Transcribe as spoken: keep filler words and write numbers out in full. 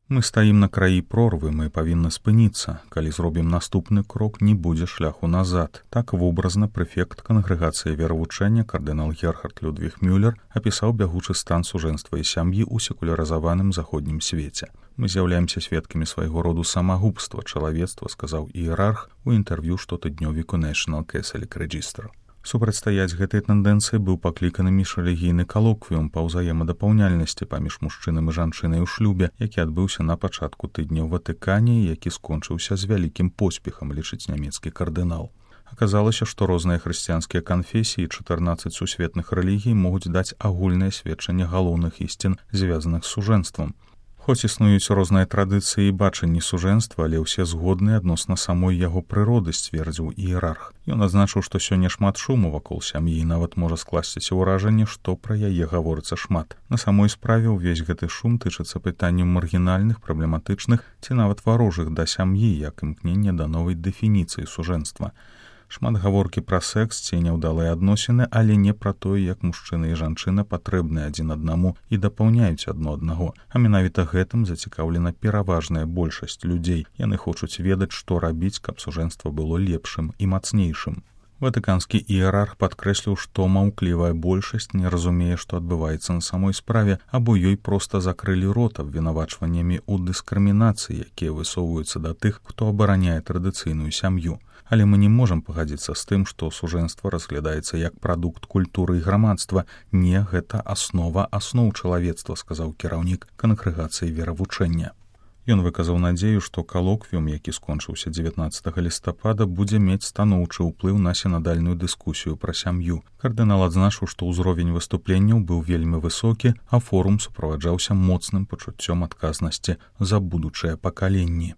Мы стаім на краі прорвы, мы павінны спыніцца. Калі зробім наступны крок, не будзе шляху назад. Так вобразна прэфект кангрэгацыі веравучэння кардынал Герхард Людвіг Мюллер апісаў бягучы стан сужэнства і сям'і ў секулярызаваным заходнім свеце. Мы з'яўляемся сведкамі свайго роду самагубства чалавецтва, сказаў іерарх у інтэрв'ю штотыднёвіку National Catholic Register. Супрацьстаяць гэтай тэндэнцыі быў пакліканы міжрэлігійны калоквіум па ўзаемадапаўняльнасці паміж мужчынам і жанчынай у шлюбе, які адбыўся на пачатку тыдня ў Ватыкане і які скончыўся з вялікім поспехам, лічыць нямецкі кардынал. Аказалася, што розныя хрысціянскія канфесіі і чатырнаццаць сусветных рэлігій могуць даць агульнае сведчанне галоўных ісцін, звязаных з сужэнствам. Хоць існуюць розныя традыцыі і бачанні сужэнства, але ўсе згодныя адносна самой яго прыроды, сцвердзіў іерарх. Ён адзначыў, што сёння шмат шуму вакол сям'і, і нават можа скласціся ўражанне, што пра яе гаворыцца шмат. На самой справе ўвесь гэты шум тычыцца пытанняў маргінальных, праблематычных ці нават варожых да сям'і, як імкнення да новай дэфініцыі сужэнства. Шмат гаворкі пра секс ці няўдалыя адносіны, але не пра тое, як мужчына і жанчына патрэбныя адзін аднаму і дапаўняюць адно аднаго. А менавіта гэтым зацікаўлена пераважная большасць людзей. Яны хочуць ведаць, што рабіць, каб сужэнства было лепшым і мацнейшым. Ватыканскі іерарх падкрэсліў, што маўклівая большасць не разумее, што адбываецца на самой справе, або ёй проста закрылі рот абвінавачваннямі ў дыскрымінацыі, якія высоўваюцца да тых, хто абараняе традыцыйную сям'ю. Але мы не можам пагадзіцца з тым, што сужэнства разглядаецца як прадукт культуры і грамадства. Не, гэта аснова асноў чалавецтва, сказаў кіраўнік кангрэгацыі веравучэння. Ён выказаў надзею, што калоквіум, які скончыўся дзевятнаццатага лістапада, будзе мець станоўчы ўплыў на сінадальную дыскусію пра сям'ю. Кардынал адзначыў, што ўзровень выступленняў быў вельмі высокі, а форум суправаджаўся моцным пачуццём адказнасці за будучыя пакаленні.